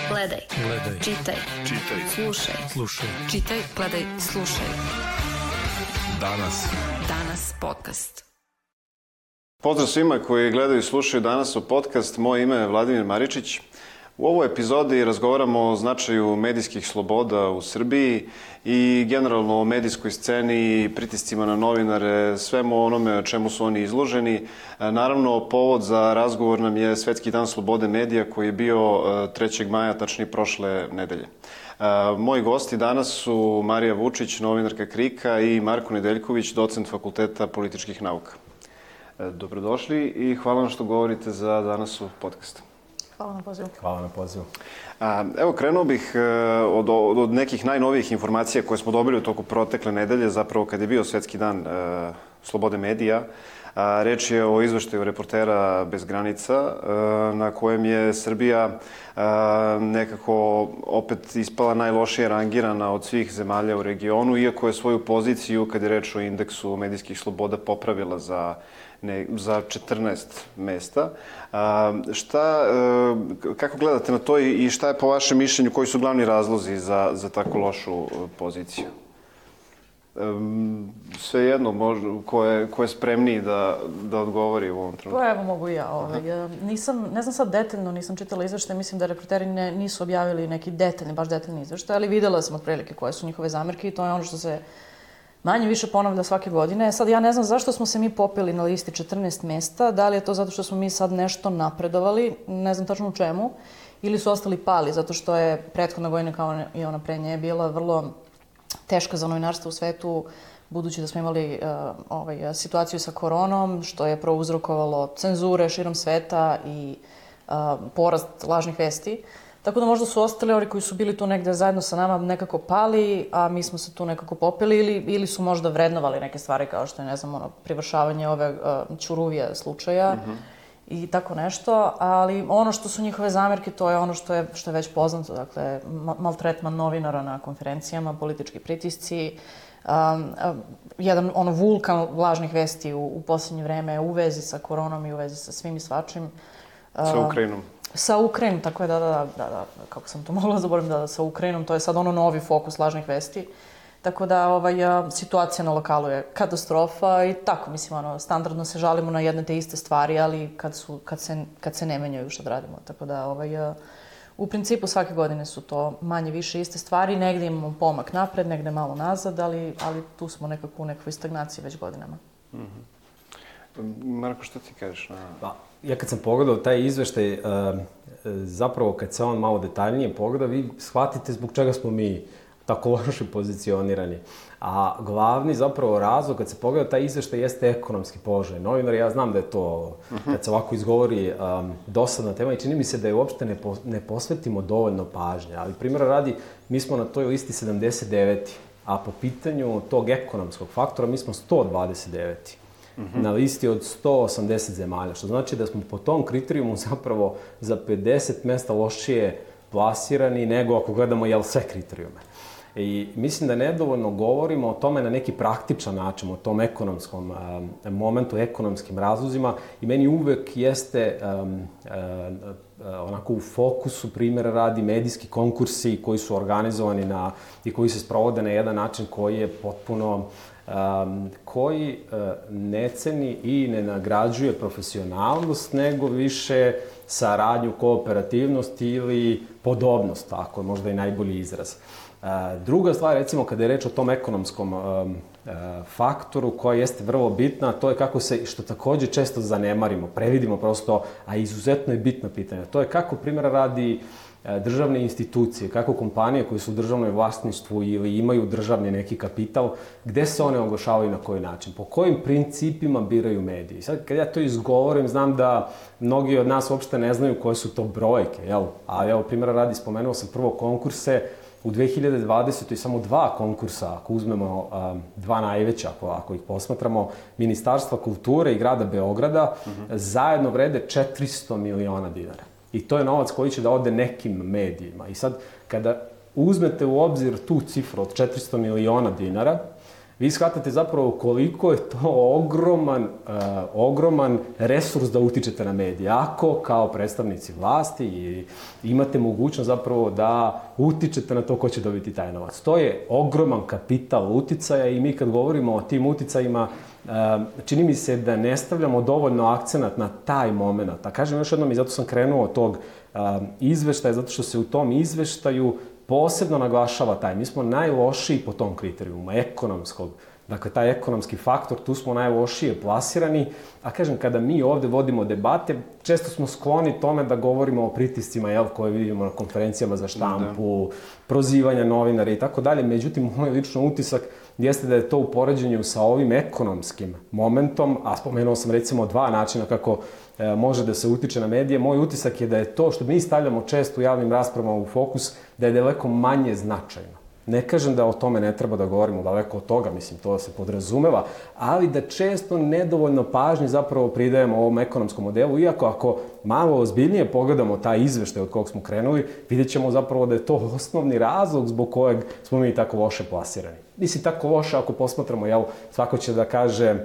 Gledaj. Čitaj. Slušaj. Čitaj, gledaj, slušaj. Danas podcast. Pozdrav svima koji gledaju i slušaju danas u podcast. Moje ime je Vladimir Maričić. U ovoj epizodi razgovaramo o značaju medijskih sloboda u Srbiji i generalno o medijskoj sceni, pritiscima na novinare, svemu onome o čemu su oni izloženi. Naravno, povod za razgovor nam je Svetski dan slobode medija koji je bio 3. maja, tačnije prošle nedelje. Moji gosti danas su Marija Vučić, novinarka KRIK-a, i Marko Nedeljković, docent Fakulteta političkih nauka. Dobrodošli i hvala vam što govorite za danas u podcastu. Hvala na pozivu. Evo, krenuo bih od nekih najnovijih informacija koje smo dobili u toku protekle nedelje, zapravo kad je bio Svetski dan slobode medija. Reč je o izveštaju Reportera bez granica, na kojem je Srbija nekako opet ispala najlošije rangirana od svih zemalja u regionu, iako je svoju poziciju, kad je reč o indeksu medijskih sloboda, popravila za 14 mesta. Kako gledate na to i šta je po vašem mišljenju, koji su glavni razlozi za tako lošu poziciju? Svejedno, ko je spremniji da odgovori u ovom trenutku? Pa evo, mogu i ja. Ne znam sad detaljno, nisam čitala izveštaje, mislim da reporteri nisu objavili neki baš detaljni izveštaj, ali videla sam otprilike koje su njihove zamerke i to je ono što se manje više ponavlja svake godine. Sad ja ne znam zašto smo se mi popeli na listi 14 mesta, da li je to zato što smo mi sad nešto napredovali, ne znam tačno u čemu, ili su ostali pali, zato što je prethodna godina kao i ona pre nje bila vrlo teška za novinarstvo u svetu, budući da smo imali situaciju sa koronom, što je prouzrokovalo cenzure širom sveta i porast lažnih vesti. Tako da možda su ostali oni koji su bili tu negde zajedno sa nama nekako pali, a mi smo se tu nekako popeli ili su možda vrednovali neke stvari kao što je, ne znam, privršavanje ove Ćuruvija slučaja i tako nešto. Ali ono što su njihove zamerke, to je ono što je već poznato, dakle, maltretman novinara na konferencijama, politički pritisci, jedan vulkan lažnih vesti u posljednje vreme u vezi sa koronom i u vezi sa svim i svačim. Sa Ukrajinom. Sa Ukrajinom, tako je, da, kako sam to mogla zaboraviti, sa Ukrajinom, to je sad novi fokus lažnih vesti. Tako da situacija na lokalu je katastrofa i tako, mislim, standardno se žalimo na jedne te iste stvari, ali kad se ne menjaju što da radimo. Tako da, u principu svake godine su to manje više iste stvari, negdje imamo pomak napred, negdje malo nazad, ali tu smo nekako u nekoj stagnaciji već godinama. Marko, što ti kažeš? Ja kad sam pogledao taj izveštaj, zapravo kad se on malo detaljnije pogleda, vi shvatite zbog čega smo mi tako loše pozicionirani. A glavni zapravo razlog kad se pogleda taj izveštaj jeste ekonomski položaj novinara. Ja znam da je to, kad se ovako izgovori, dosadna tema i čini mi se da je uopšte ne posvetimo dovoljno pažnje. Ali primjera radi, mi smo na toj listi 79. A po pitanju tog ekonomskog faktora mi smo 129. Na listi od 180 zemalja, što znači da smo po tom kriterijumu zapravo za 50 mesta lošije plasirani nego ako gledamo sve kriterijume. I mislim da nedovoljno govorimo o tome na neki praktičan način, o tom ekonomskom momentu, ekonomskim razlozima i meni uvek jeste onako u fokusu, primjera radi, medijski konkursi koji su organizovani i koji se sprovode na jedan način koji je potpuno koji ne ceni i ne nagrađuje profesionalnost, nego više saradnju, kooperativnost ili podobnost, tako je možda i najbolji izraz. Druga stvar, recimo, kada je reč o tom ekonomskom faktoru koja jeste vrlo bitna, to je kako se, što također često zanemarimo, previdimo prosto, a izuzetno je bitno pitanje. To je kako, primjera radi, državne institucije, kako kompanije koje su u državnoj vlasništvu ili imaju državni neki kapital, gde se one oglašavaju i na koji način, po kojim principima biraju mediji. Sad, kad ja to izgovorim, znam da mnogi od nas uopšte ne znaju koje su to brojke, jel? A evo, primjera radi, spomenuo sam prvo konkurse, u 2020. samo 2 konkursa, ako uzmemo 2 najveća, ako ih posmatramo, Ministarstva kulture i grada Beograda, zajedno vrede 400 miliona dinara. I to je novac koji će da ode nekim medijima. I sad, kada uzmete u obzir tu cifru od 400 miliona dinara, vi shvatate zapravo koliko je to ogroman resurs da utičete na medije. Ako kao predstavnici vlasti imate mogućnost zapravo da utičete na to ko će dobiti taj novac. To je ogroman kapital uticaja i mi kad govorimo o tim uticajima, čini mi se da ne stavljamo dovoljno akcenat na taj moment. A kažem još jednom i zato sam krenuo od tog izveštaja, zato što se u tom izveštaju posebno naglašava taj. Mi smo najlošiji po tom kriterijumu, ekonomskog. Dakle, taj ekonomski faktor, tu smo najlošije plasirani. A kažem, kada mi ovde vodimo debate, često smo skloni tome da govorimo o pritiscima koje vidimo na konferencijama za štampu, prozivanja novinara i tako dalje. Međutim, moj lično utisak jeste da je to u poređenju sa ovim ekonomskim momentom, a spomenuo sam recimo 2 načina kako može da se utiče na medije. Moj utisak je da je to što mi stavljamo često u javnim raspravama u fokus, da je daleko manje značajno. Ne kažem da o tome ne treba da govorimo, daleko od toga, mislim, to se podrazumeva, ali da često nedovoljno pažnje zapravo pridajemo ovom ekonomskom modelu, iako ako malo ozbiljnije pogledamo taj izveštaj od kog smo krenuli, vidjet ćemo zapravo da je to osnovni razlog zbog kojeg smo mi tako loše plasirani. Mislim, tako loše ako posmatramo, svako će da kaže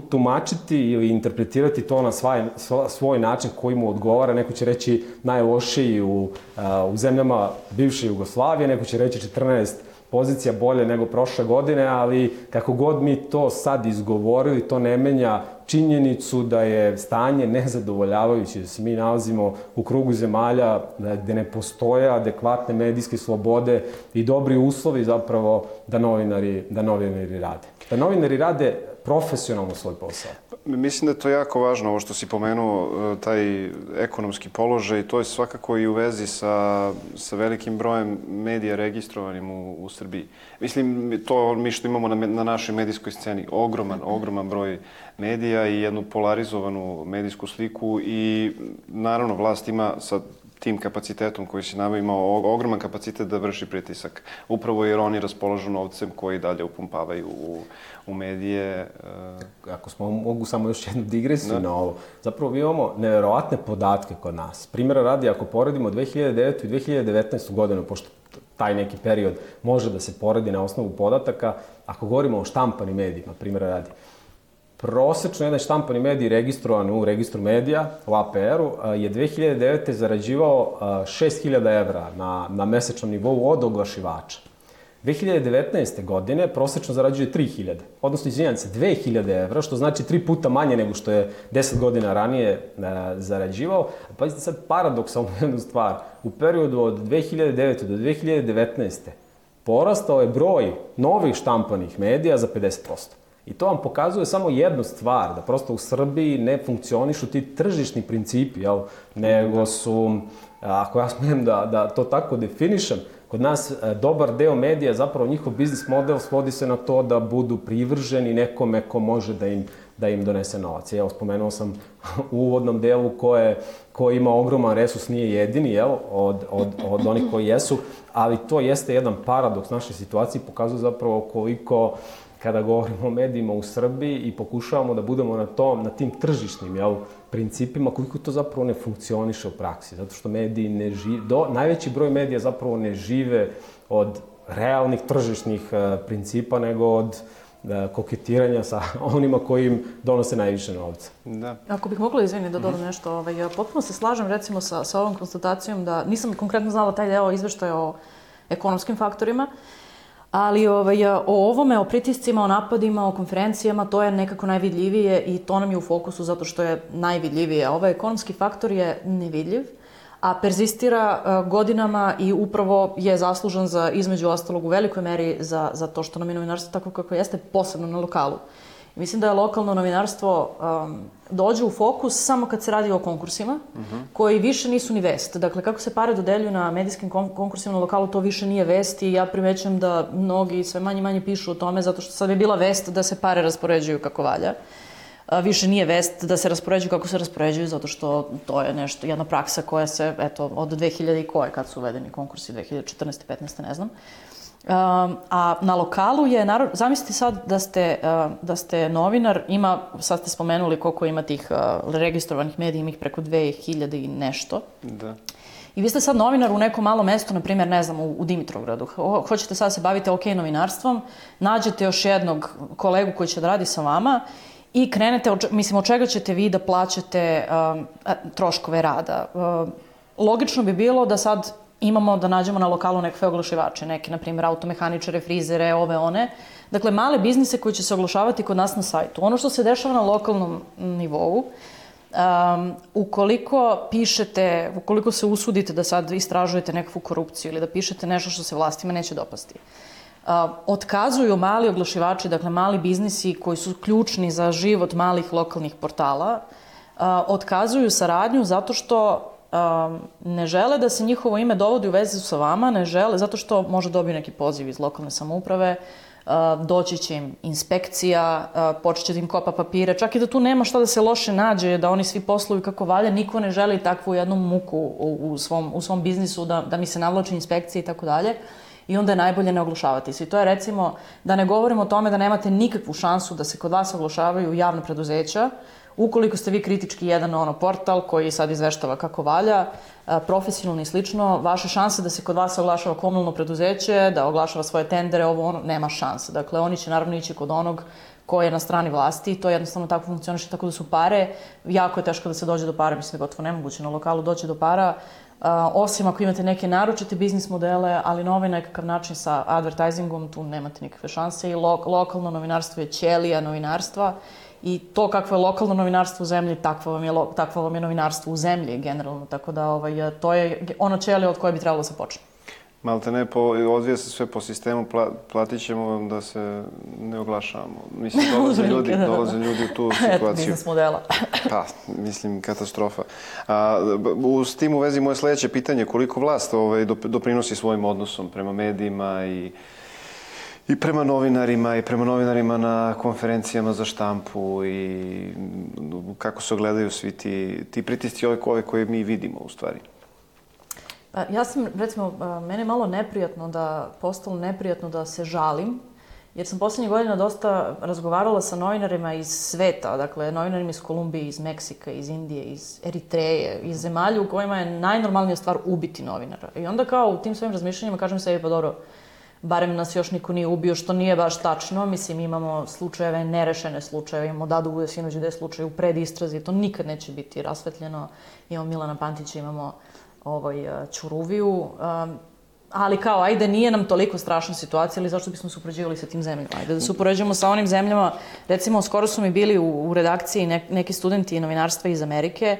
tumačiti ili interpretirati to na svoj način koji mu odgovara. Neko će reći najlošiji u zemljama bivše Jugoslavije, neko će reći 14 pozicija bolje nego prošle godine, ali kako god mi to sad izgovorili, to ne menja činjenicu da je stanje nezadovoljavajuće, da se mi nalazimo u krugu zemalja gde ne postoje adekvatne medijske slobode i dobri uslovi zapravo da novinari rade. Da novinari rade profesionalno svoj posao. Mislim da je to jako važno, ovo što si pomenuo, taj ekonomski položaj, to je svakako i u vezi sa velikim brojem medija registrovanim u Srbiji. Mislim, to mi što imamo na našoj medijskoj sceni, ogroman broj medija i jednu polarizovanu medijsku sliku i naravno vlast ima sa tim kapacitetom koji se nama imao ogroman kapacitet da vrši pritisak. Upravo jer oni raspolažu novcem koji dalje upumpavaju u medije. Ako mogu samo još jednu digresiju na ovo. Zapravo mi imamo neverovatne podatke kod nas. Primjera radi, ako poredimo 2009. i 2019. godinu, pošto taj neki period može da se poredi na osnovu podataka, ako govorimo o štampanim medijima, primjera radi, prosečno jedan štampani medij registrovan u registru medija, u APR-u, je 2009. zarađivao 6.000 evra na mesečnom nivou od oglašivača. 2019. godine prosečno zarađuje 3.000, odnosno, izvinjam se, 2.000 evra, što znači 3 puta manje nego što je 10 godina ranije zarađivao. Pazite sad paradoksalnu jednu stvar. U periodu od 2009. do 2019. porastao je broj novih štampanih medija za 50%. I to vam pokazuje samo jednu stvar, da prosto u Srbiji ne funkcionišu ti tržišni principi, nego su, ako ja smijem da to tako definišem, kod nas dobar deo medija, zapravo njihov biznis model svodi se na to da budu privrženi nekome ko može da im donese novac. Evo, spomenuo sam u uvodnom delu ko ima ogroman resurs, nije jedini, od onih koji jesu, ali to jeste jedan paradoks naše situacije i pokazuje zapravo koliko, kada govorimo o medijima u Srbiji i pokušavamo da budemo na tim tržišnim principima, koliko to zapravo ne funkcioniše u praksi. Zato što mediji ne žive, najveći broj medija zapravo ne žive od realnih tržišnih principa, nego od koketiranja sa onima koji im donose najviše novca. Da. Ako bih mogla, izvini, da dodam nešto, potpuno se slažem recimo sa ovom konstatacijom da nisam konkretno znala taj deo izveštaja o ekonomskim faktorima, ali o ovome, o pritiscima, o napadima, o konferencijama, to je nekako najvidljivije i to nam je u fokusu zato što je najvidljivije. Ovaj ekonomski faktor je nevidljiv, a perzistira godinama i upravo je zaslužan za, između ostalog, u velikoj meri za to što nam je novinarstvo tako kako jeste, posebno na lokalu. Mislim da je lokalno novinarstvo dođe u fokus samo kad se radi o konkursima, koji više nisu ni vest. Dakle, kako se pare dodeljuju na medijskim konkursima na lokalu, to više nije vest i ja primećujem da mnogi sve manje pišu o tome, zato što sad je bila vest da se pare raspoređuju kako valja. Više nije vest da se raspoređuju kako se raspoređuju, zato što to je nešto, jedna praksa koja se, eto, od 2000 i koje, kad su uvedeni konkursi, 2014. 15. ne znam. A na lokalu je, zamislite sad da ste novinar, sad ste spomenuli koliko ima tih registrovanih medija, ima ih preko 2000 i nešto. Da. I vi ste sad novinar u nekom malom mestu, na primjer, ne znam, u Dimitrovgradu. Hoćete sad se bavite OK novinarstvom, nađete još jednog kolegu koji će da radi sa vama i krenete, mislim, od čega ćete vi da plaćate troškove rada. Logično bi bilo da sad imamo da nađemo na lokalu nekakve oglašivače, neke, na primjer, automehaničare, frizere, ove, one. Dakle, male biznise koji će se oglašavati kod nas na sajtu. Ono što se dešava na lokalnom nivou, ukoliko pišete, ukoliko se usudite da sad istražujete nekakvu korupciju ili da pišete nešto što se vlastima neće dopasti, otkazuju mali oglašivači, dakle mali biznisi koji su ključni za život malih lokalnih portala, otkazuju saradnju zato što ne žele da se njihovo ime dovodi u vezu sa vama, ne žele, zato što može dobiti neki poziv iz lokalne samouprave, doći će im inspekcija, počet će da im kopa papire, čak i da tu nema šta da se loše nađe, da oni svi posluju kako valja, niko ne želi takvu jednu muku u svom biznisu, da mi se navlači inspekcije i tako dalje. I onda je najbolje ne oglašavati se. I to je, recimo, da ne govorimo o tome da nemate nikakvu šansu da se kod vas oglašavaju javna preduzeća, ukoliko ste vi kritički jedan portal koji sad izveštava kako valja, profesionalno i slično, vaše šanse da se kod vas oglašava komunalno preduzeće, da oglašava svoje tendere, nema šanse. Dakle, oni će naravno ići kod onog ko je na strani vlasti i to jednostavno tako funkcioniše, tako da su pare, jako je teško da se dođe do para, mislim da je gotovo nemoguće na lokalu doći do para, osim ako imate neke naročite biznis modele, ali na ovaj nekakav način sa advertisingom tu nemate nikakve šanse i lokalno novinarstvo je ćelija novinarstva i to kakvo je lokalno novinarstvo u zemlji, takvo vam je novinarstvo u zemlji generalno, tako da to je ono ćelija od koje bi trebalo da se počne. Malte ne, odvija se sve po sistemu, platit ćemo vam da se ne oglašavamo. Mislim, dolaze ljudi u tu situaciju. Biznis modela. Pa, mislim, katastrofa. S tim u vezi moje sledeće pitanje, koliko vlast doprinosi svojim odnosom prema medijima i prema novinarima na konferencijama za štampu i kako se ogledaju svi ti pritisci ove koje mi vidimo u stvari? Ja sam, recimo, mene je malo postalo neprijatno da se žalim, jer sam poslednjih godina dosta razgovarala sa novinarima iz sveta, dakle, novinarima iz Kolumbije, iz Meksika, iz Indije, iz Eritreje, iz zemalja u kojima je najnormalnija stvar ubiti novinara. I onda kao u tim svojim razmišljanjima kažem sebi, pa dobro, barem nas još niko nije ubio, što nije baš tačno. Mislim, imamo slučajeve, nerešene slučajeve, imamo Dadu Vujasinović gde je slučaj u predistrazi, to nikad neće biti rasvetljeno. Imamo Milana Pantića, imamo Ćuruviju, ali kao, ajde, nije nam toliko strašna situacija, ali zašto bismo se upoređivali sa tim zemljama? Ajde da se upoređujemo sa onim zemljama, recimo, skoro su mi bili u redakciji neki studenti novinarstva iz Amerike,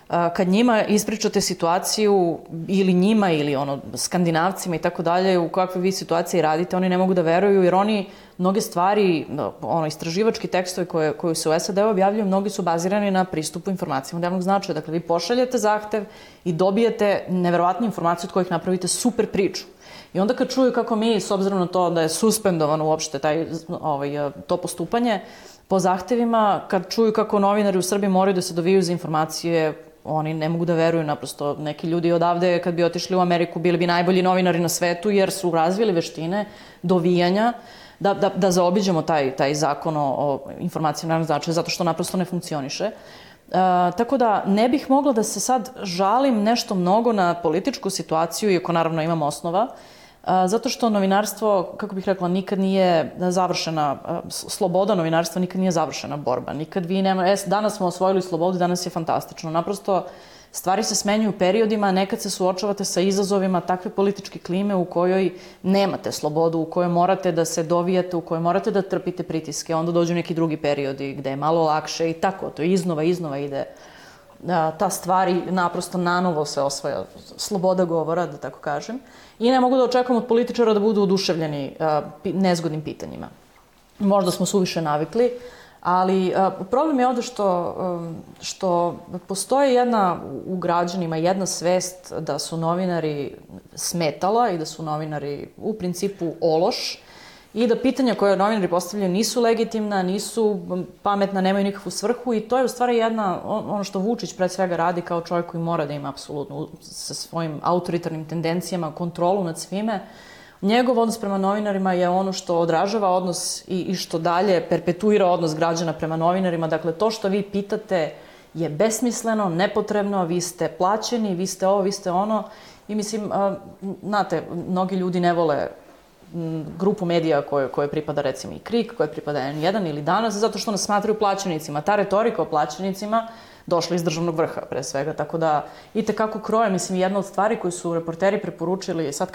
kad njima ispričate situaciju, ili njima, ili Skandinavcima i tako dalje, u kakve vi situaciji radite, oni ne mogu da veruju, jer oni mnoge stvari, istraživački tekstovi koji se u SAD objavljuju, mnogi su bazirani na pristupu informacijama od javnog značaja. Dakle, vi pošaljete zahtev i dobijete neverovatne informacije od kojih napravite super priču. I onda kad čuju kako mi, s obzirom na to da je suspendovano uopšte to postupanje po zahtevima, kad čuju kako novinari u Srbiji moraju da se dovijaju za informacije, oni ne mogu da veruju, naprosto neki ljudi odavde kad bi otišli u Ameriku bili bi najbolji novinari na svetu jer su razvili veštine dovijanja da zaobiđemo taj zakon o informacijama javnog značaja zato što naprosto ne funkcioniše. Tako da ne bih mogla da se sad žalim nešto mnogo na političku situaciju, iako naravno imam osnova, zato što novinarstvo, kako bih rekla, nikad nije završena, sloboda novinarstva nikad nije završena borba. Nikad vi nema, danas smo osvojili slobodu, danas je fantastično. Naprosto, stvari se smenjuju periodima, nekad se suočavate sa izazovima takve političke klime u kojoj nemate slobodu, u kojoj morate da se dovijate, u kojoj morate da trpite pritiske, onda dođu neki drugi periodi gde je malo lakše i tako, to iznova ide. Ta stvari naprosto nanovo se osvaja, sloboda govora, da tako kažem. I ne mogu da očekujem od političara da budu oduševljeni nezgodnim pitanjima. Možda smo suviše navikli, ali problem je ovde što postoji u građanima jedna svest da su novinari smetala i da su novinari u principu ološ i da pitanja koje novinari postavljaju nisu legitimna, nisu pametna, nemaju nikakvu svrhu i to je u stvari ono što Vučić pred svega radi kao čovjek koji mora da ima apsolutno sa svojim autoritarnim tendencijama kontrolu nad svime. Njegov odnos prema novinarima je ono što odražava odnos i što dalje perpetuira odnos građana prema novinarima. Dakle, to što vi pitate je besmisleno, nepotrebno, vi ste plaćeni, vi ste ovo, vi ste ono. I mislim, znate, mnogi ljudi ne vole grupu medija koje pripada recimo i KRIK, koje pripada N1 ili Danas, zato što nas smatraju plaćenicima. Ta retorika o plaćenicima došla iz državnog vrha, pre svega, tako da i tekako kroje, mislim, jedna od stvari koju su reporteri preporučili, sad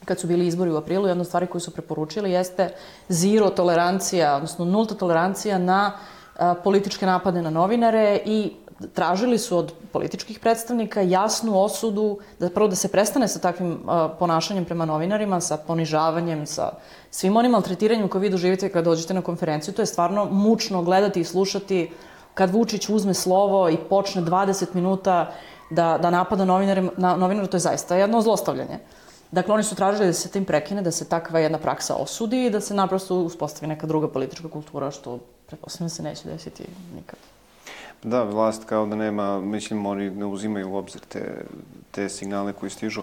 kad su bili izbori u aprilu, jedna od stvari koju su preporučili jeste zero tolerancija, odnosno nulta tolerancija na političke napade na novinare i tražili su od političkih predstavnika jasnu osudu, da se prestane sa takvim ponašanjem prema novinarima, sa ponižavanjem, sa svim onim maltretiranjem koje vi doživite kada dođete na konferenciju. To je stvarno mučno gledati i slušati kad Vučić uzme slovo i počne 20 minuta da napada novinara, to je zaista jedno zlostavljanje. Dakle, oni su tražili da se tim prekine, da se takva jedna praksa osudi i da se naprosto uspostavi neka druga politička kultura, što pretpostavljam se neće desiti nikad. Da, vlast kao da nema, mislim, oni ne uzimaju u obzir te signale koji stižu.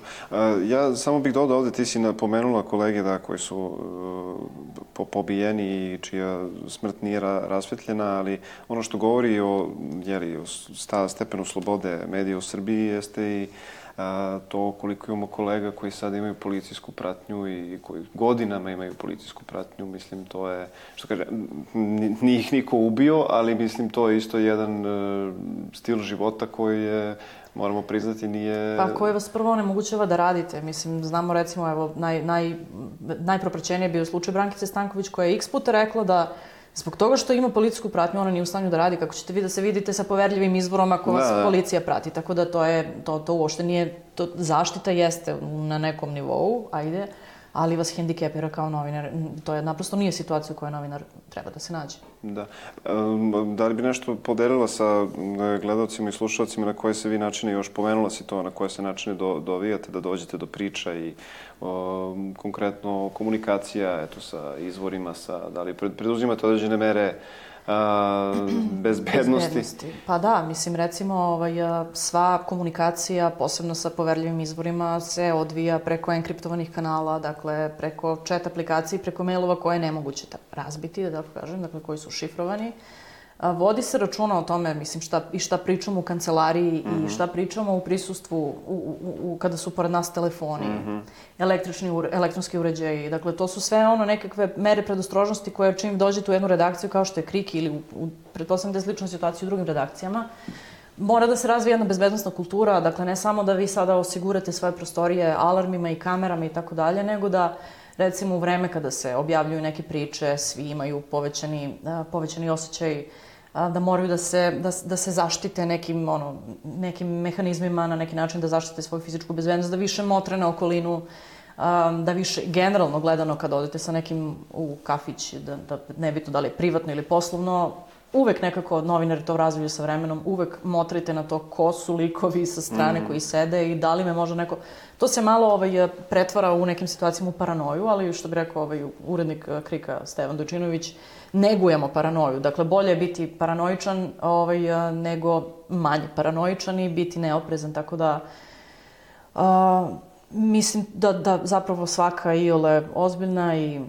Ja samo bih dodao ovde, ti si napomenula kolege koji su pobijeni i čija smrt nije rasvetljena, ali ono što govori o stepenu slobode medija u Srbiji jeste i to koliko imamo kolega koji sad imaju policijsku pratnju i koji godinama imaju policijsku pratnju. Mislim, to je, što kaže, nije ih niko ubio, ali mislim, to je isto jedan stil života koji je, moramo priznati, nije... Pa koji vas prvo onemogućava da radite. Mislim, znamo recimo, evo, najpropraćeniji je bio slučaj Brankice Stanković koja je x puta rekla da zbog toga što ima policijsku pratnju, ona nije u stanju da radi, kako ćete vi da se vidite sa poverljivim izvorom ako vas policija prati. Tako da to uopšte nije, zaštita jeste na nekom nivou, ajde, ali vas hendikepira kao novinar. To je naprosto nije situacija u kojoj novinar treba da se nađe. Da. Da li bi nešto podelila sa gledalcima i slušalcima na koje se vi načine, još pomenula si to, na koje se načine dovijate, da dođete do priča i konkretno komunikacija, eto, sa izvorima, da li preduzimate određene mere bezbednosti? Pa da, mislim, recimo, sva komunikacija, posebno sa poverljivim izvorima, se odvija preko enkriptovanih kanala, dakle, preko chat aplikacije, preko mailova koje je nemoguće razbiti, da tako kažem, dakle, koji su šifrovani. Vodi se računa o tome, mislim, šta pričamo u kancelariji i šta pričamo u prisustvu kada su pored nas telefoni, elektronski uređaji. Dakle, to su sve nekakve mere predostrožnosti koje čim dođete u jednu redakciju kao što je KRIK ili pretpostavljam da je slična situacija u drugim redakcijama, mora da se razvije jedna bezbednosna kultura, dakle, ne samo da vi sada osigurate svoje prostorije alarmima i kamerama i tako dalje, nego da recimo u vreme kada se objavljuju neke priče, svi imaju povećani osjećaj da moraju da se zaštite nekim mehanizmima, na neki način da zaštite svoju fizičku bezbednost, da više motre na okolinu, da više generalno gledano kad odete sa nekim u kafić, da nebitno da li je privatno ili poslovno, uvek nekako novinari to razviju sa vremenom, uvek motrite na to ko su likovi sa strane koji sede i da li me može neko... To se malo pretvara u nekim situacijama u paranoju, ali što bi rekao urednik KRIK-a Stevan Dojčinović, negujemo paranoju. Dakle, bolje je biti paranoičan nego manje paranoičan i biti neoprezan, tako da mislim da zapravo svaka iole ozbiljna i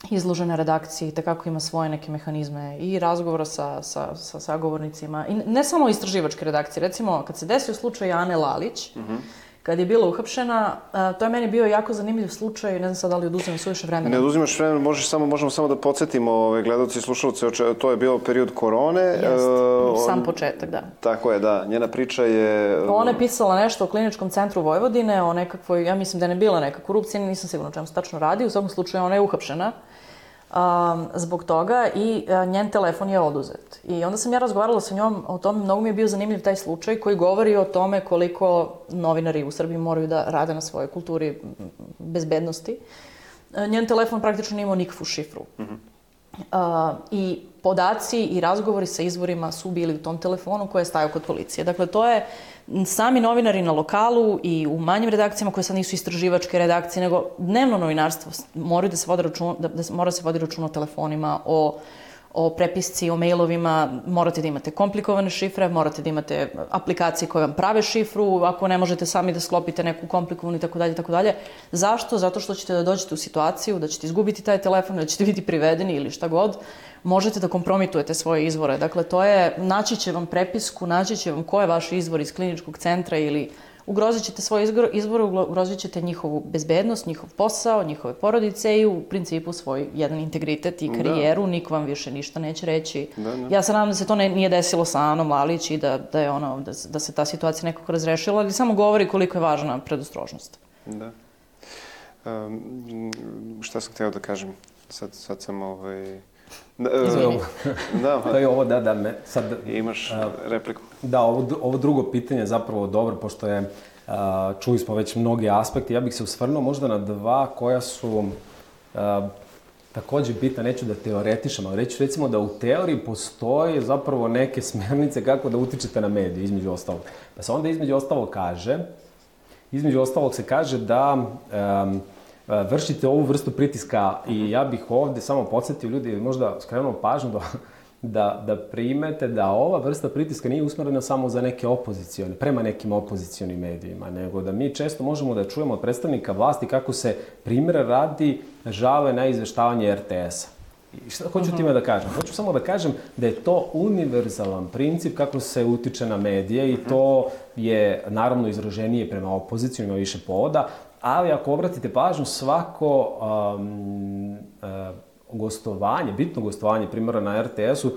izložena redakcija i takako ima svoje neke mehanizme i razgovora sa sagovornicima. I ne samo istraživačke redakcije. Recimo, kad se desio slučaj Ane Lalić, kad je bila uhapšena, to je meni bio jako zanimljiv slučaj, ne znam sad da li oduzimam suviše vremena. Ne oduzimaš vremena, možemo samo da podsjetimo gledalci i slušalce, to je bio period korone. Jeste, sam početak, da. Tako je, da. Njena priča je... Ona je pisala nešto o Kliničkom centru Vojvodine, o nekakvoj, ja mislim da ne bila neka korupcija, nisam sigurna o čemu se tačno radi, u svakom slučaju ona je uhapšena zbog toga i njen telefon je oduzet. I onda sam ja razgovarala sa njom o tome, mnogo mi je bio zanimljiv taj slučaj koji govori o tome koliko novinari u Srbiji moraju da rade na svojoj kulturi bezbednosti. Njen telefon praktično nije imao nikakvu šifru. I podaci i razgovori sa izvorima su bili u tom telefonu koji je stajao kod policije. Dakle, to je sami novinari na lokalu i u manjim redakcijama koje sad nisu istraživačke redakcije, nego dnevno novinarstvo mora da se vodi računa o telefonima, o prepisci, o mailovima, morate da imate komplikovane šifre, morate da imate aplikacije koje vam prave šifru, ako ne možete sami da sklopite neku komplikovanu i tako dalje, tako dalje. Zašto? Zato što ćete da dođete u situaciju da ćete izgubiti taj telefon, da ćete biti privedeni ili šta god, možete da kompromitujete svoje izvore. Dakle, naći će vam prepisku, naći će vam ko je vaš izvor iz kliničkog centra ili ugrozit ćete svoje izvore, ugrozit ćete njihovu bezbednost, njihov posao, njihove porodice i u principu svoj jedan integritet i karijeru. Niko vam više ništa neće reći. Ja se nadam da se to nije desilo sa Anom Lalić i da se ta situacija nekako razrešila, ali samo govori koliko je važna predostrožnost. Da. Šta sam hteo da kažem? Sad sam Izvoli. To je ovo, sad... Imaš repliku? Da, ovo drugo pitanje je zapravo dobro, pošto je, čuli smo već mnogi aspekti. Ja bih se osvrnuo možda na dva koja su takođe bitna, neću da teoretišem, ali reći recimo da u teoriji postoje zapravo neke smernice kako da utičete na medije, između ostalog. Pa se onda između ostalog se kaže da vršite ovu vrstu pritiska i ja bih ovde samo podsjetio ljudi, možda skrenuo pažnju da primete da ova vrsta pritiska nije usmerena samo za neke opozicione, prema nekim opozicionim medijima, nego da mi često možemo da čujemo od predstavnika vlasti kako se primjera radi žale na izveštavanje RTS-a. I šta hoću time da kažem? Hoću samo da kažem da je to univerzalan princip kako se utiče na medije i to je naravno izraženije prema opoziciju, ima više povoda, ali ako obratite pažnju, svako bitno gostovanje, primjera na RTS-u,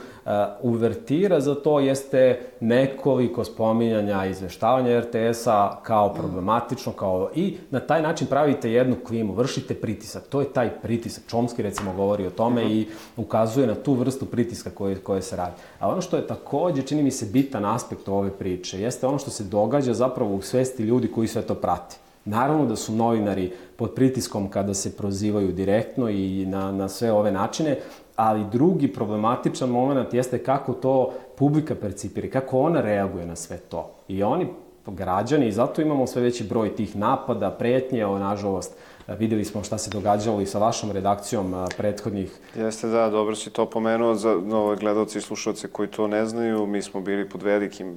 uvertira za to jeste nekoliko spominjanja izveštavanja RTS-a kao problematično, i na taj način pravite jednu klimu, vršite pritisak. To je taj pritisak. Chomsky recimo govori o tome i ukazuje na tu vrstu pritiska koje se radi. A ono što je takođe, čini mi se, bitan aspekt ove priče, jeste ono što se događa zapravo u svesti ljudi koji sve to prati. Naravno da su novinari pod pritiskom kada se prozivaju direktno i na sve ove načine, ali drugi problematičan moment jeste kako to publika percipira, kako ona reaguje na sve to. I oni, građani, i zato imamo sve veći broj tih napada, pretnje, nažalost, videli smo šta se događalo i sa vašom redakcijom prethodnih. Jeste, da, dobro si to pomenuo za nove gledalce i slušalce koji to ne znaju. Mi smo bili pod velikim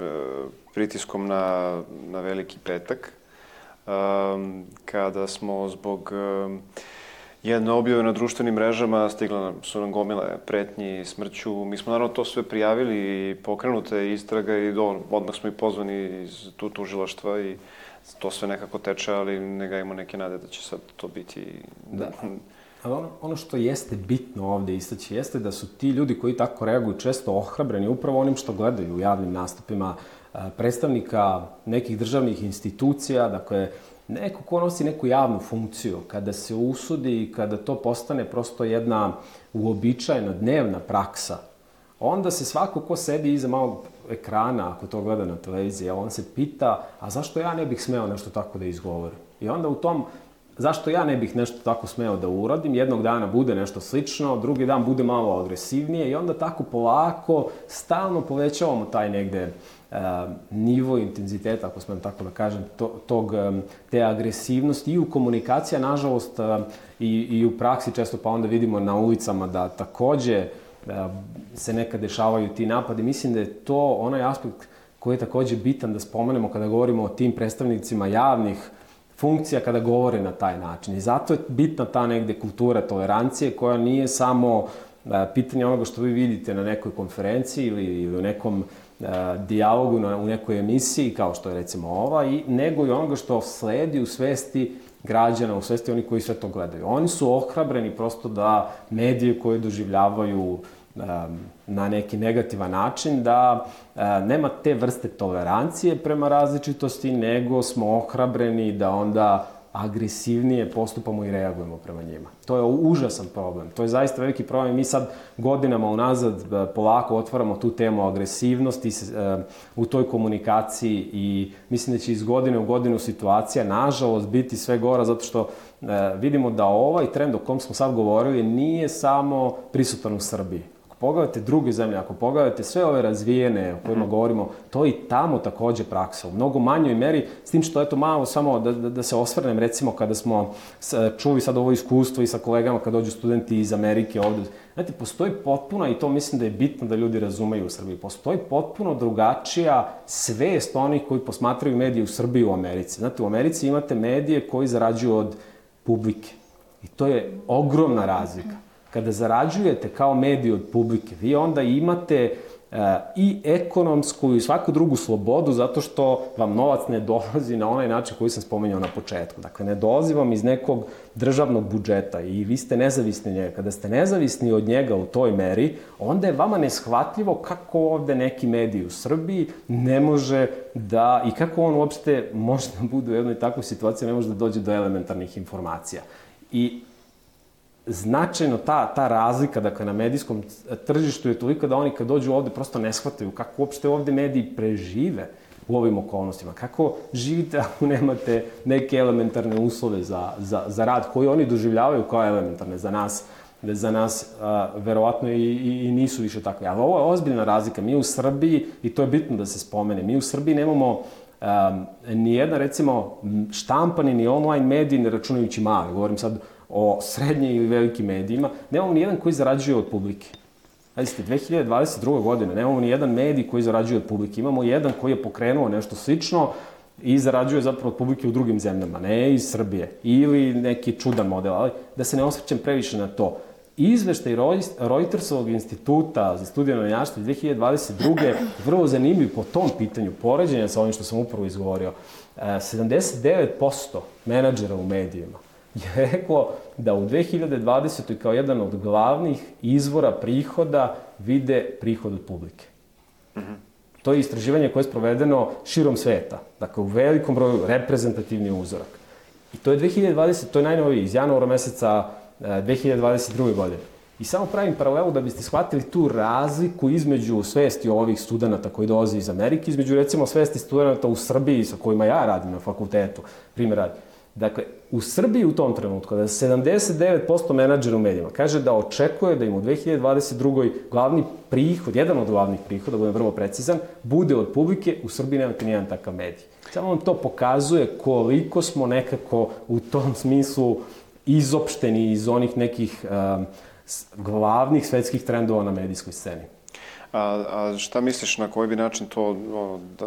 pritiskom na Veliki petak, kada smo zbog jedne objave na društvenim mrežama stigla su nam gomile pretnji smrću. Mi smo naravno to sve prijavili i pokrenuta je istraga i odmah smo i pozvani iz tužilaštva i to sve nekako teče, ali ne gajimo neke nade da će sad to biti... Da. Ali ono što jeste bitno ovde istaći jeste da su ti ljudi koji tako reaguju često ohrabreni upravo onim što gledaju u javnim nastupima predstavnika nekih državnih institucija, dakle, neko ko nosi neku javnu funkciju, kada se usudi i kada to postane prosto jedna uobičajena dnevna praksa, onda se svako ko sedi iza malog ekrana, ako to gleda na televiziji, on se pita, a zašto ja ne bih smeo nešto tako da izgovorim? I onda u tom, zašto ja ne bih nešto tako smeo da uradim, jednog dana bude nešto slično, drugi dan bude malo agresivnije i onda tako polako, stalno povećavamo taj negde nivo intenziteta, ako smem tako da kažem, te agresivnosti i u komunikaciji, nažalost, i u praksi često, pa onda vidimo na ulicama da takođe se nekad dešavaju ti napadi. Mislim da je to onaj aspekt koji je takođe bitan da spomenemo kada govorimo o tim predstavnicima javnih funkcija kada govore na taj način. I zato je bitna ta negde kultura tolerancije koja nije samo pitanje onoga što vi vidite na nekoj konferenciji ili u nekom dijalogu u nekoj emisiji, kao što je recimo ova, nego i onoga što sledi u svesti građana, u svesti oni koji sve to gledaju. Oni su ohrabreni prosto da medije koje doživljavaju na neki negativan način, da nema te vrste tolerancije prema različitosti, nego smo ohrabreni da onda agresivnije postupamo i reagujemo prema njima. To je užasan problem. To je zaista veliki problem. Mi sad godinama unazad polako otvaramo tu temu agresivnosti u toj komunikaciji i mislim da će iz godine u godinu situacija, nažalost, biti sve gora zato što vidimo da ovaj trend o kom smo sad govorili nije samo prisutan u Srbiji. Pogledajte druge zemlje, ako pogledajte sve ove razvijene o kojima govorimo, to je i tamo takođe praksa. U mnogo manjoj meri, s tim što eto malo samo da se osvrnem, recimo kada smo čuli sad ovo iskustvo i sa kolegama kad dođu studenti iz Amerike ovde, znate, postoji potpuno, i to mislim da je bitno da ljudi razumeju u Srbiji, postoji potpuno drugačija svest onih koji posmatraju medije u Srbiji i u Americi. Znate, u Americi imate medije koji zarađuju od publike. I to je ogromna razlika. kada zarađujete kao medij od publike, vi onda imate i ekonomsku i svaku drugu slobodu zato što vam novac ne dolazi na onaj način koji sam spomenuo na početku. Dakle, ne dolazi vam iz nekog državnog budžeta i vi ste nezavisni od njega. Kada ste nezavisni od njega u toj meri, onda je vama neshvatljivo kako ovde neki medij u Srbiji ne može da, i kako on uopšte može da bude u jednoj takvoj situaciji, ne može da dođe do elementarnih informacija. I značajno ta razlika, dakle, na medijskom tržištu je toliko da oni kad dođu ovde prosto ne shvataju kako uopšte ovde mediji prežive u ovim okolnostima. Kako živite ako nemate neke elementarne uslove za rad koji oni doživljavaju kao elementarne za nas verovatno i nisu više takve. Ali ovo je ozbiljna razlika. Mi u Srbiji, i to je bitno da se spomene, mi u Srbiji nemamo nijedna, recimo, štampani ni online mediji, ne računajući mali. Govorim sad o srednjim ili velikim medijima, nemamo ni jedan koji zarađuje od publike. Znači, 2022. godine nemamo ni jedan medij koji zarađuje od publike. Imamo jedan koji je pokrenuo nešto slično i zarađuje zapravo od publike u drugim zemljama, ne iz Srbije. Ili neki čudan model, ali da se ne osvrćem previše na to. Izveštaj Reutersovog instituta za studije novinarstva 2022. vrlo zanimljiv po tom pitanju, poređenja sa ovim što sam upravo izgovorio. 79% menadžera u medijima je rekao da u 2020. kao jedan od glavnih izvora prihoda vide prihod od publike. To je istraživanje koje je sprovedeno širom sveta. Dakle, u velikom broju reprezentativni uzorak. I to je 2020, to je najnoviji, iz januara meseca 2022. godine. I samo pravim paralelu da biste shvatili tu razliku između svesti ovih studenta koji dolaze iz Amerike, između, recimo, svesti studenta u Srbiji sa kojima ja radim na fakultetu, primjer radi. Dakle, u Srbiji u tom trenutku, da 79% menadžera u medijima kaže da očekuje da im u 2022. glavni prihod, jedan od glavnih prihoda, da budem vrlo precizan, bude od publike, u Srbiji nemate nijedan takav medij. Samo vam to pokazuje koliko smo nekako u tom smislu izopšteni iz onih nekih glavnih svetskih trendova na medijskoj sceni. A šta misliš, na koji bi način to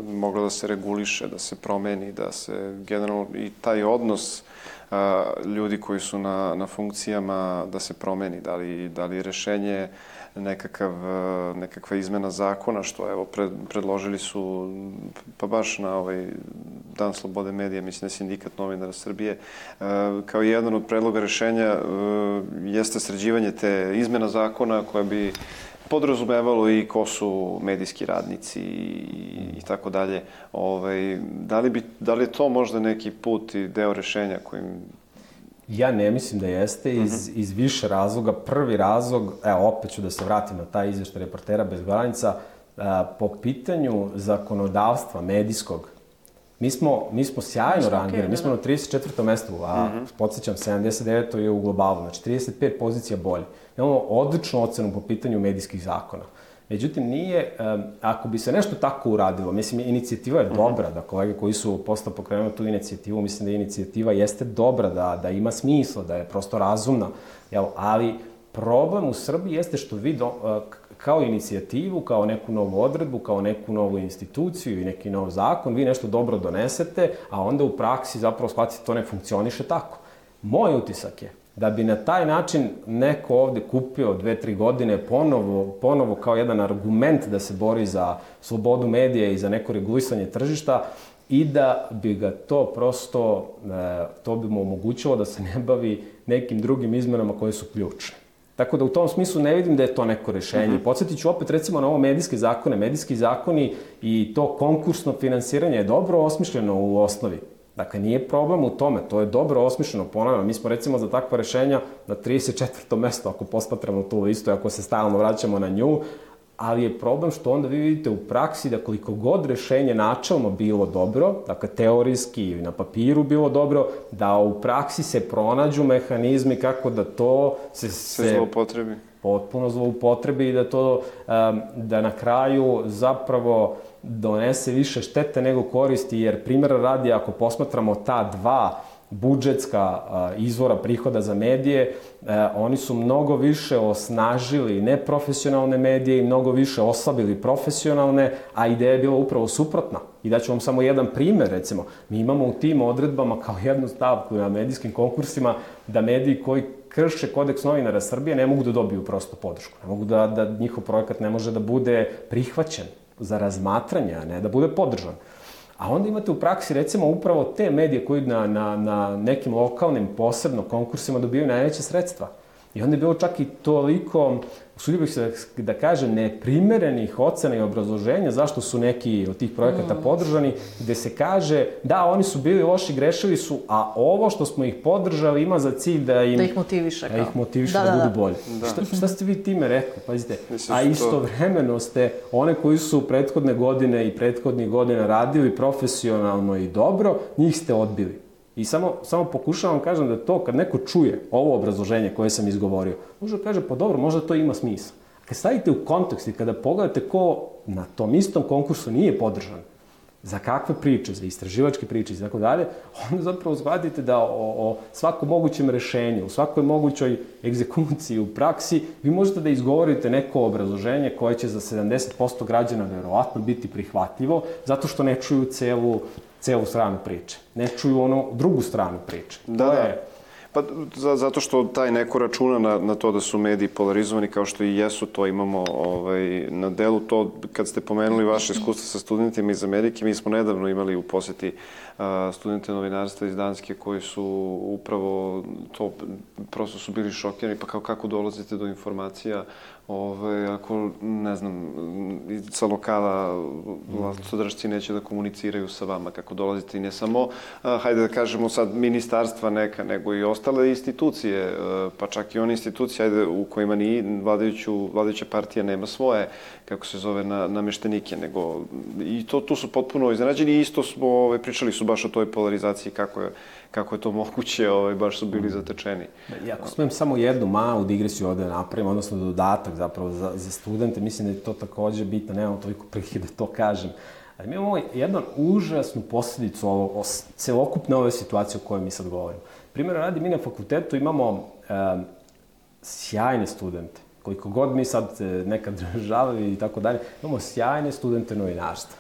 moglo da se reguliše, da se promeni, da se generalno i taj odnos ljudi koji su na funkcijama da se promeni? Da li je rešenje nekakva izmena zakona, što evo predložili su, pa baš na ovaj Dan slobode medija, mislim, Sindikat novinara Srbije, kao jedan od predloga rešenja jeste sređivanje te izmena zakona koja bi podrazumevalo i ko su medijski radnici i tako dalje. Da li je to možda neki put i deo rešenja kojim... Ja ne mislim da jeste iz više razloga. Prvi razlog, evo, opet ću da se vratim na taj izveštaj Reportera bez granica, po pitanju zakonodavstva medijskog, mi smo sjajno rangirani, mi smo na 34. mestu, a podsjećam, 79. je u globalu, znači 35 pozicija bolje. Imamo odličnu ocenu po pitanju medijskih zakona. Međutim, nije, ako bi se nešto tako uradilo, mislim, inicijativa je dobra, da kolege koji su postao pokrenuli tu inicijativu, mislim da inicijativa jeste dobra, da ima smisla, da je prosto razumna, ali problem u Srbiji jeste što vi kao inicijativu, kao neku novu odredbu, kao neku novu instituciju i neki nov zakon, vi nešto dobro donesete, a onda u praksi zapravo shvatite to ne funkcioniše tako. Moj utisak je da bi na taj način neko ovde kupio 2-3 godine ponovo kao jedan argument da se bori za slobodu medija i za neko regulisanje tržišta i da bi ga to prosto, to bi mu omogućilo da se ne bavi nekim drugim izmenama koje su ključne. Tako da u tom smislu ne vidim da je to neko rešenje. Podsjetit ću opet recimo na ovo medijske zakone. Medijski zakoni i to konkursno finansiranje je dobro osmišljeno u osnovi. Dakle, nije problem u tome, to je dobro osmišljeno, ponavljam. Mi smo recimo za takva rešenja na 34. mesto, ako posmatramo tu listu i ako se stalno vraćamo na nju, ali je problem što onda vi vidite u praksi da koliko god rešenje načelno bilo dobro, dakle teorijski ili na papiru bilo dobro, da u praksi se pronađu mehanizmi kako da to se zloupotrebi. Potpuno zloupotrebi i da to, da na kraju zapravo donese više štete nego koristi, jer primjera radi, ako posmatramo ta dva budžetska izvora prihoda za medije, oni su mnogo više osnažili neprofesionalne medije i mnogo više oslabili profesionalne, a ideja je bila upravo suprotna. I daću vam samo jedan primer, recimo. Mi imamo u tim odredbama kao jednu stavku na medijskim konkursima da mediji koji krše kodeks novinara Srbije ne mogu da dobiju prosto podršku. Ne mogu da njihov projekat ne može da bude prihvaćen za razmatranje, a ne da bude podržan. A onda imate u praksi, recimo, upravo te medije koji na nekim lokalnim posebno konkursima dobijaju najveće sredstva. I onda je bilo čak i toliko, usudio bih se da kažem, neprimerenih ocena i obrazloženja zašto su neki od tih projekata podržani, gde se kaže da, oni su bili loši, grešili su, a ovo što smo ih podržali ima za cilj da ih motiviše da budu bolji. Šta ste vi time rekli? Pazite, a istovremeno ste one koji su prethodne godine i prethodnih godina radili profesionalno i dobro, njih ste odbili. I samo pokušavam kažem da to kad neko čuje ovo obrazloženje koje sam izgovorio, može da kaže pa dobro, možda to ima smisla. Kad stavite u kontekst i kada pogledate ko na tom istom konkursu nije podržan, za kakve priče, za istraživačke priče i tako dalje, onda zapravo shvatite da o svakom mogućem rešenju, u svakoj mogućoj egzekuciji u praksi, vi možete da izgovorite neko obrazloženje koje će za 70% građana verovatno biti prihvatljivo, zato što ne čuju celu stranu priče. Ne čuju onu drugu stranu priče. Pa zato što taj neko računa na to da su mediji polarizovani kao što i jesu, to imamo na delu. To kad ste pomenuli vaše iskustvo sa studentima iz Amerike, mi smo nedavno imali u poseti studente novinarstva iz Danske koji su upravo to, prosto su bili šokirani, pa kako dolazite do informacija ako, ne znam, sa lokala vlastodržci neće da komuniciraju sa vama, kako dolazite i ne samo, hajde da kažemo sad, ministarstva neka, nego i ostale institucije, pa čak i one institucije, hajde, u kojima ni vladajuća partija nema svoje, kako se zove, nameštenike, nego i tu su potpuno iznenađeni i isto smo, pričali su baš o toj polarizaciji, kako je to moguće, baš su bili zatečeni. I ako smem samo jednu malu digresiju ovde napravim, odnosno dodatak zapravo za studente, mislim da je to takođe bitno, nemam toliko prilike da to kažem. Ali mi imamo jednu užasnu posledicu celokupne ove situacije o kojoj mi sad govorimo. Primjer radi, mi na fakultetu imamo sjajne studente, koliko god mi sad nekad žalili i tako dalje, imamo sjajne studente novinarstva.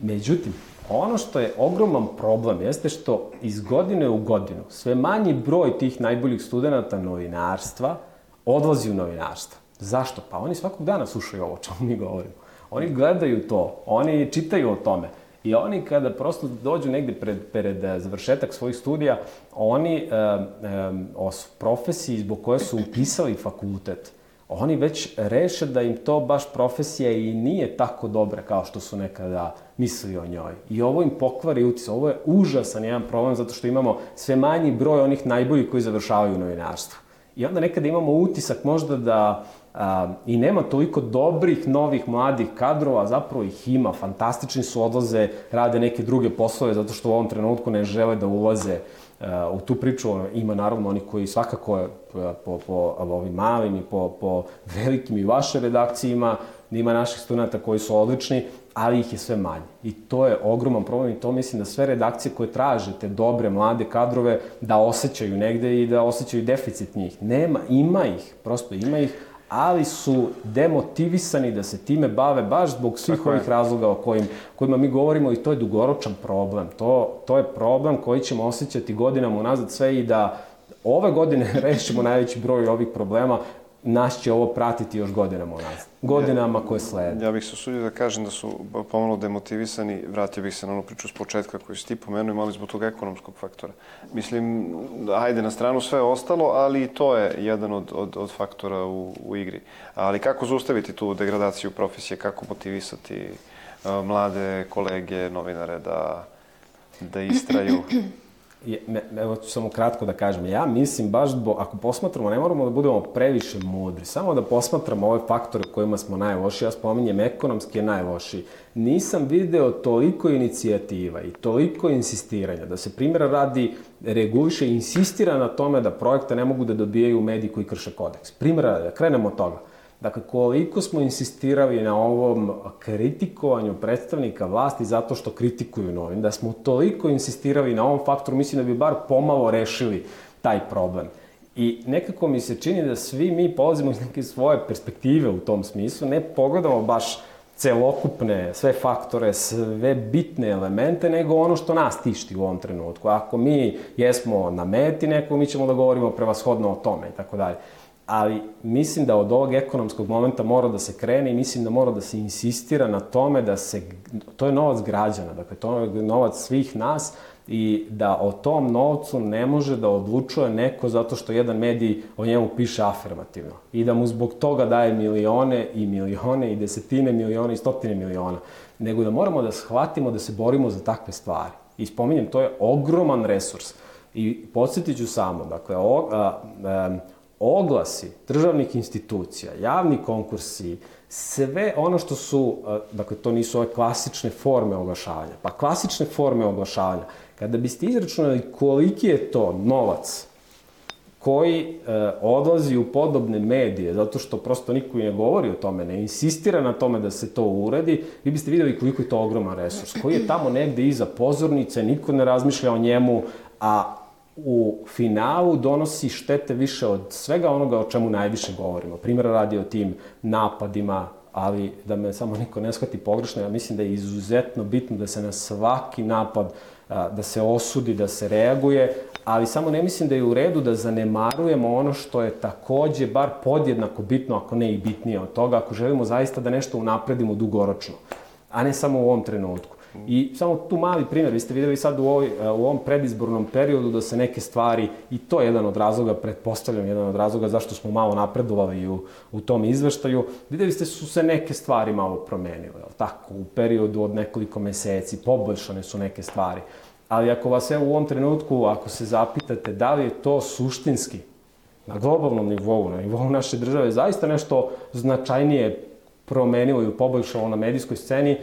Međutim, ono što je ogroman problem jeste što iz godine u godinu sve manji broj tih najboljih studenta novinarstva odlazi u novinarstvo. Zašto? Pa oni svakog dana slušaju ovo čemu mi govorimo. Oni gledaju to, oni čitaju o tome. I oni kada prosto dođu negde pred završetak svojih studija, oni o profesiji zbog koje su upisali fakultet, oni već reše da im to baš profesija i nije tako dobra kao što su nekada mislili o njoj. I ovo im pokvari utisak. Ovo je užasan jedan problem zato što imamo sve manji broj onih najboljih koji završavaju novinarstvo. I onda nekada imamo utisak možda da i nema toliko dobrih, novih, mladih kadrova, zapravo ih ima, fantastični su, odlaze, rade neke druge poslove zato što u ovom trenutku ne žele da ulaze u tu priču. Ima naravno oni koji svakako po ovim malim i po velikim i vašoj redakciji ima naših studenta koji su odlični, ali ih je sve manje. I to je ogroman problem i to mislim da sve redakcije koje traže te dobre, mlade kadrove da osjećaju negde i da osjećaju deficit njih. Ima ih, prosto ima ih, ali su demotivisani da se time bave baš zbog svih ovih razloga o kojima mi govorimo i to je dugoročan problem. To je problem koji ćemo osjećati godinama unazad sve i da ove godine rešimo najveći broj ovih problema, nas će ovo pratiti još godinama unazad. Godinama koje slede. Ja bih se usudio da kažem da su pomalo demotivisani, vratio bih se na onu priču s početka koju si ti pomenuo, imali zbog tog ekonomskog faktora. Mislim, ajde na stranu sve ostalo, ali i to je jedan od faktora u igri. Ali kako zaustaviti tu degradaciju profesije, kako motivisati mlade kolege, novinare da istraju? Evo ću samo kratko da kažem. Ja mislim baš ako posmatramo, ne moramo da budemo previše mudri, samo da posmatramo ove faktore kojima smo najlošiji. Ja spominjem ekonomski je najlošiji. Nisam video toliko inicijativa i toliko insistiranja da se primjera radi reguliše i insistira na tome da projekte ne mogu da dobijaju mediji koji krše kodeks. Primjera radi, da krenemo od toga. Dakle, koliko smo insistirali na ovom kritikovanju predstavnika vlasti zato što kritikuju novine, da smo toliko insistirali na ovom faktoru, mislim da bi bar pomalo rešili taj problem. I nekako mi se čini da svi mi polazimo iz neke svoje perspektive u tom smislu, ne pogledamo baš celokupne, sve faktore, sve bitne elemente, nego ono što nas tišti u ovom trenutku. Ako mi jesmo na meti nekog, mi ćemo da govorimo prevashodno o tome i tako dalje. Ali mislim da od ovog ekonomskog momenta mora da se krene i mislim da mora da se insistira na tome da se, to je novac građana, dakle to je novac svih nas i da o tom novcu ne može da odlučuje neko zato što jedan medij o njemu piše afirmativno i da mu zbog toga daje milione i milione i desetine miliona i stotine miliona, nego da moramo da shvatimo da se borimo za takve stvari. I spominjem, to je ogroman resurs. I podsjetit ću samo, dakle, oglasi državnih institucija, javni konkursi, sve ono što su, dakle, to nisu ove klasične forme oglašavanja. Pa klasične forme oglašavanja, kada biste izračunali koliki je to novac koji odlazi u podobne medije, zato što prosto niko i ne govori o tome, ne insistira na tome da se to uredi, vi biste videli koliko je to ogroman resurs, koji je tamo negde iza pozornice, niko ne razmišlja o njemu, a u finalu donosi štete više od svega onoga o čemu najviše govorimo. Primjer radi o tim napadima, ali da me samo niko ne shvati pogrešno, ja mislim da je izuzetno bitno da se na svaki napad, da se osudi, da se reaguje, ali samo ne mislim da je u redu da zanemarujemo ono što je takođe bar podjednako bitno, ako ne i bitnije od toga, ako želimo zaista da nešto unapredimo dugoročno, a ne samo u ovom trenutku. I samo tu mali primjer, vi ste videli sad u ovom predizbornom periodu da se neke stvari, i to je jedan od razloga, pretpostavljam jedan od razloga zašto smo malo napredovali u tom izveštaju, videli ste su se neke stvari malo promenile, tako, u periodu od nekoliko meseci, poboljšane su neke stvari. Ali ako vas u ovom trenutku, ako se zapitate da li je to suštinski, na globalnom nivou, na nivou naše države, zaista nešto značajnije promenilo i poboljšalo na medijskoj sceni,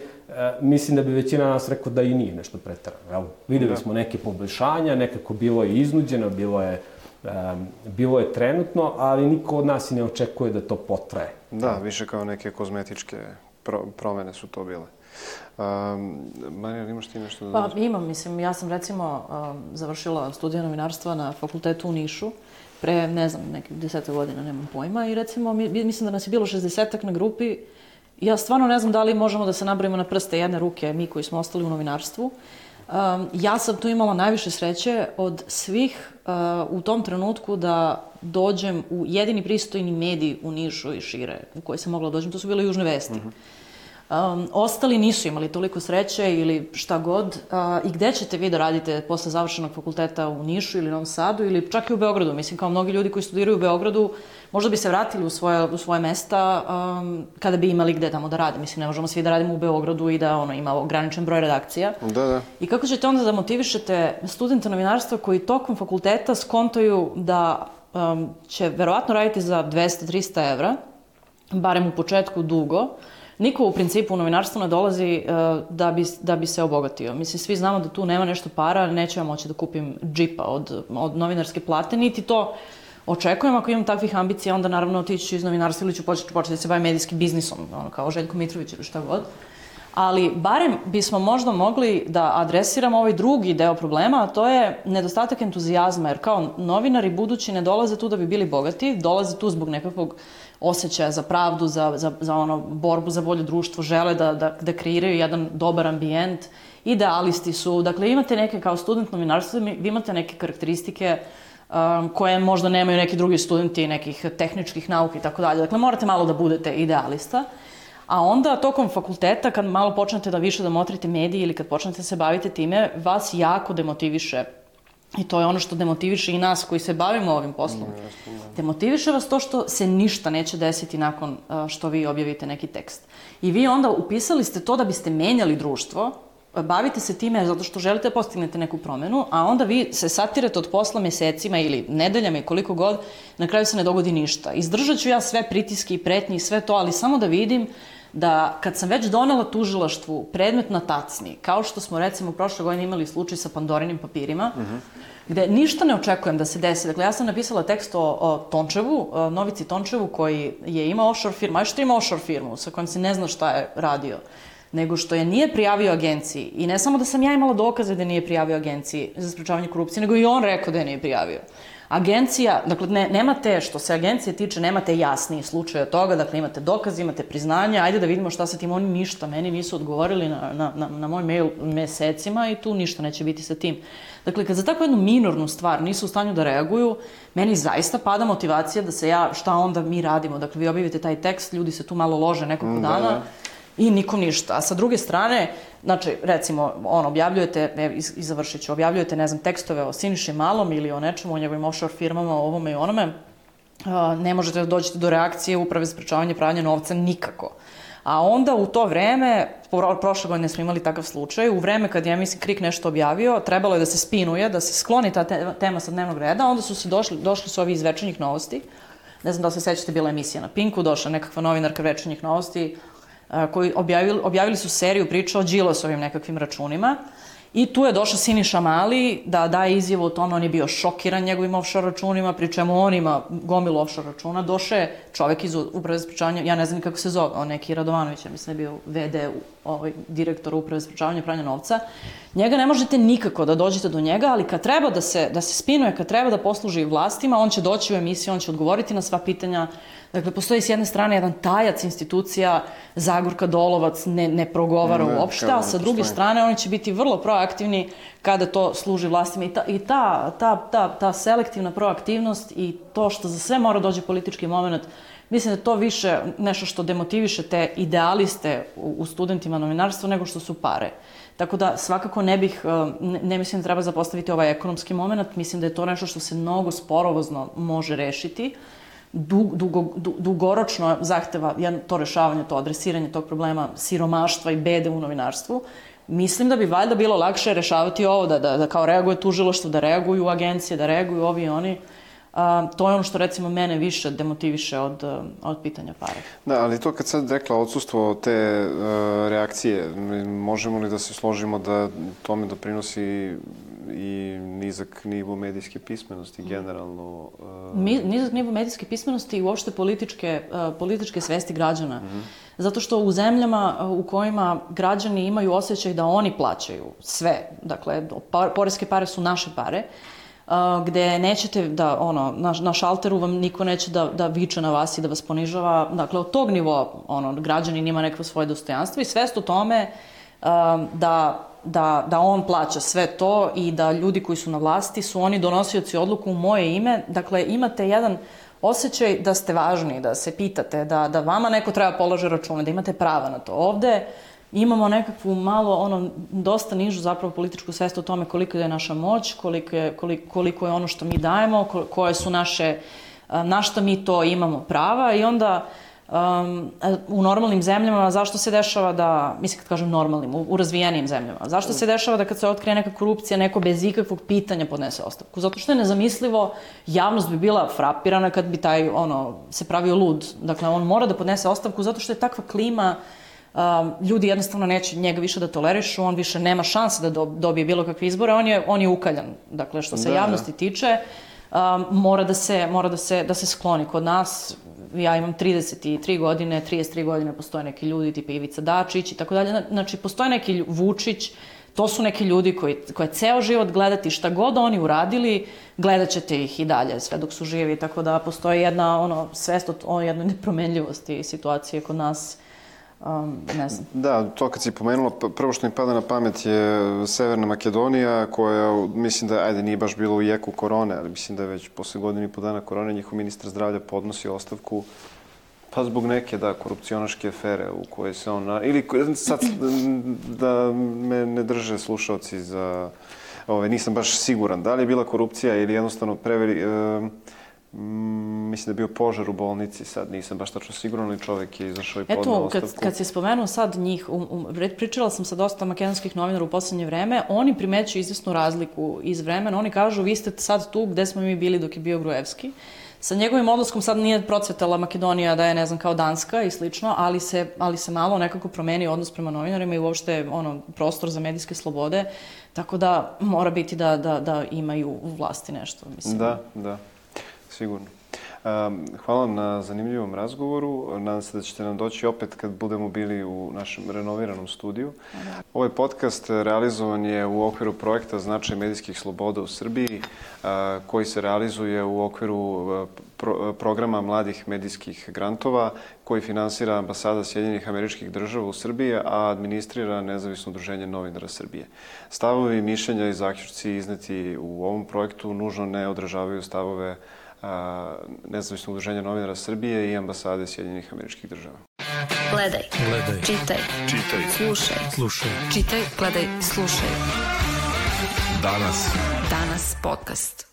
mislim da bi većina nas rekao da i nije nešto preterano. Videli smo neke poboljšanja, nekako bilo je iznuđeno, bilo je trenutno, ali niko od nas i ne očekuje da to potraje. Da, više kao neke kozmetičke promene su to bile. Marija, imaš ti nešto da dodaš? Pa imam, mislim, ja sam recimo završila studije novinarstva na fakultetu u Nišu, pre, ne znam, nekih 10 godina, nemam pojma, i recimo, mislim da nas je bilo 60-ak na grupi. Ja stvarno ne znam da li možemo da se nabrojimo na prste jedne ruke, mi koji smo ostali u novinarstvu. Ja sam tu imala najviše sreće od svih u tom trenutku da dođem u jedini pristojni medij u Nišu i šire u koji sam mogla dođem, to su bile Južne vesti. Ostali nisu imali toliko sreće ili šta god. I gde ćete vi da radite posle završenog fakulteta u Nišu ili Novom Sadu ili čak i u Beogradu? Mislim, kao mnogi ljudi koji studiraju u Beogradu, možda bi se vratili u svoje mesta kada bi imali gde tamo da rade. Mislim, ne možemo svi da radimo u Beogradu i da ima ograničen broj redakcija. Da. I kako ćete onda da motivišete studente novinarstva koji tokom fakulteta skontaju da će verovatno raditi za 200-300 evra, barem u početku dugo. Niko u principu u novinarstvo ne dolazi da bi se obogatio. Mislim, svi znamo da tu nema nešto para, neću ja moći da kupim džipa od novinarske plate, niti to očekujem. Ako imam takvih ambicija, onda naravno otići ću iz novinarstva ili ću početi da se bavim medijskim biznisom, kao Željko Mitrović ili šta god. Ali barem bismo možda mogli da adresiramo ovaj drugi deo problema, a to je nedostatak entuzijazma, jer kao novinari budući ne dolaze tu da bi bili bogati, dolaze tu zbog nekakvog osjećaja za pravdu, za borbu za bolje društvo, žele da kreiraju jedan dobar ambijent, idealisti su, dakle imate neke, kao student novinarstva, vi imate neke karakteristike koje možda nemaju neki drugi studenti nekih tehničkih nauka i tako dalje, dakle morate malo da budete idealista. A onda, tokom fakulteta, kad malo počnete da više da motrite mediji ili kad počnete se bavite time, vas jako demotiviše. I to je ono što demotiviše i nas koji se bavimo ovim poslom. Demotiviše vas to što se ništa neće desiti nakon što vi objavite neki tekst. I vi onda upisali ste to da biste menjali društvo, bavite se time zato što želite da postignete neku promenu, a onda vi se satirate od posla mesecima ili nedeljama i koliko god, na kraju se ne dogodi ništa. Izdržat ću ja sve pritiske i pretnje i sve to, ali samo da vidim da kad sam već donela tužilaštvu predmet na tacni, kao što smo recimo prošle godine imali slučaj sa Pandorinim papirima, gde ništa ne očekujem da se desi. Dakle, ja sam napisala tekst o Tončevu, Novici Tončevu, koji je imao offshore firmu, a što ima offshore firmu sa kojom se ne zna šta je radio, nego što je nije prijavio agenciji. I ne samo da sam ja imala dokaze da nije prijavio agenciji za sprečavanje korupcije, nego i on rekao da je nije prijavio. Agencija, dakle, nemate, što se agencije tiče, nemate jasniji slučaj od toga, dakle, imate dokaze, imate priznanja, ajde da vidimo šta sa tim, oni ništa, meni nisu odgovorili na moj mail mesecima i tu ništa neće biti sa tim. Dakle, kad za takvu jednu minornu stvar nisu u stanju da reaguju, meni zaista pada motivacija da se šta onda mi radimo. Dakle, vi objavite taj tekst, ljudi se tu malo lože nekoliko dana i nikom ništa. A sa druge strane, znači, recimo, objavljujete, i završit ću, objavljujete, ne znam, tekstove o Siniši Malom ili o nečemu, o njegovim offshore firmama, o ovome i onome, ne možete da dođete do reakcije Uprave za sprečavanje pranja novca nikako. A onda u to vreme, prošle godine smo imali takav slučaj, u vreme kad je, mislim, KRIK nešto objavio, trebalo je da se spinuje, da se skloni ta tema sa dnevnog reda, onda su se došli su ovi iz Večernjih novosti, ne znam da se sećate, bila emisija na Pinku, došla nekakva novinarka Večernjih novosti, koji objavili su seriju priča o Đilasovim nekakvim računima i tu je došao Siniša Mali da daje izjavu o tome, on je bio šokiran njegovim offshore računima, pri čemu on ima gomilu offshore računa, došao je čovek iz Uprave za sprečavanje, ja ne znam kako se zove, on neki Radovanović, ja mislim da je bio VD, direktor Uprave za sprečavanje pranja novca, njega ne možete nikako da dođete do njega, ali kad treba da se spinuje, kad treba da posluži vlastima, on će doći u emisiju, on će odgovoriti na sva pitanja. Dakle, postoji s jedne strane jedan tajac institucija, Zagorka Dolovac ne progovara uopšte, a sa druge strane oni će biti vrlo proaktivni kada to služi vlastima. I ta selektivna proaktivnost i to što za sve mora dođe politički moment, mislim da je to više nešto što demotiviše te idealiste u studentima novinarstva nego što su pare. Tako da svakako ne mislim da treba zapostaviti ovaj ekonomski moment, mislim da je to nešto što se mnogo sporovozno može rešiti. Dugoročno zahteva to rešavanje, to adresiranje tog problema siromaštva i bede u novinarstvu. Mislim da bi valjda bilo lakše rešavati ovo, da kao reaguje tužilaštvo, da reaguju agencije, da reaguju ovi i oni. To je ono što recimo mene više demotiviše od pitanja pare. Da, ali to kad sad rekla odsustvo te reakcije, možemo li da se složimo da tome doprinosi i nizak nivo medijske pismenosti generalno? Nizak nivo medijske pismenosti i uopšte političke svesti građana. Zato što u zemljama u kojima građani imaju osjećaj da oni plaćaju sve, dakle, poreske pare su naše pare, gde nećete da, na šalteru vam niko neće da viče na vas i da vas ponižava. Dakle, od tog nivoa, građanin ima neko svoje dostojanstvo i svest o tome da on plaća sve to i da ljudi koji su na vlasti su oni donosioci odluku u moje ime. Dakle, imate jedan osjećaj da ste važni, da se pitate, da vama neko treba polože račune, da imate prava na to. Ovde imamo nekakvu malo, dosta nižu zapravo političku svest o tome koliko je naša moć, koliko je ono što mi dajemo, koje su na što mi to imamo prava i onda u normalnim zemljama zašto se dešava da, mislim kad kažem normalnim, u razvijenijim zemljama, zašto se dešava da kad se otkrije neka korupcija, neko bez ikakvog pitanja podnese ostavku? Zato što je nezamislivo, javnost bi bila frapirana kad bi taj, se pravio lud. Dakle, on mora da podnese ostavku zato što je takva klima, ljudi jednostavno neće njega više da tolerišu, on više nema šanse da dobije bilo kakve izbore, on je ukaljan. Dakle, što se javnosti tiče, mora da se skloni. Kod nas, ja imam 33 godine, 33 godine postoje neki ljudi tipa Ivica Dačić i tako dalje. Znači, postoje neki Vučić, to su neki ljudi koje ceo život gledati, šta god oni uradili, gledat ćete ih i dalje sve dok su živi. Tako da postoji jedna svest o jednoj nepromenljivosti situacije kod nas. Ne znam. Da, to kad si pomenula, prvo što mi pada na pamet je Severna Makedonija, koja, mislim da, nije baš bilo u jeku korone, ali mislim da je već posle godinu i po dana korone njihov ministar zdravlja podnosi ostavku, pa zbog neke, korupcionaške afere u kojoj se on, ili sad da me ne drže slušalci za, nisam baš siguran, da li je bila korupcija ili jednostavno mislim da je bio požar u bolnici, sad nisam baš tačno siguran, ali čovek je izašao i podneo ostavku. Eto, kad si spomenuo sad njih, pričala sam sa dosta makedonskih novinara u poslednje vreme, oni primećuju izvesnu razliku iz vremena, oni kažu vi ste sad tu gde smo mi bili dok je bio Gruevski, Sa njegovim odlaskom sad nije procvetala Makedonija da je, ne znam, kao Danska i slično, ali se malo nekako promeni odnos prema novinarima i uopšte prostor za medijske slobode, tako da mora biti da imaju u vlasti nešto, mislim. Da, sigurno. Hvala vam na zanimljivom razgovoru. Nadam se da ćete nam doći opet kad budemo bili u našem renoviranom studiju. Ovaj podcast realizovan je u okviru projekta Značaj medijskih sloboda u Srbiji, koji se realizuje u okviru programa mladih medijskih grantova, koji finansira Ambasada Sjedinjenih Američkih Država u Srbiji, a administrira Nezavisno udruženje novinara Srbije. Stavovi, mišljenja i zaključci izneti u ovom projektu nužno ne odražavaju stavove Nezavisno udruženje novinara Srbije i Ambasade Sjedinjenih Američkih Država. Gledaj. Čitaj. Slušaj. Čitaj, gledaj, slušaj. Danas podcast.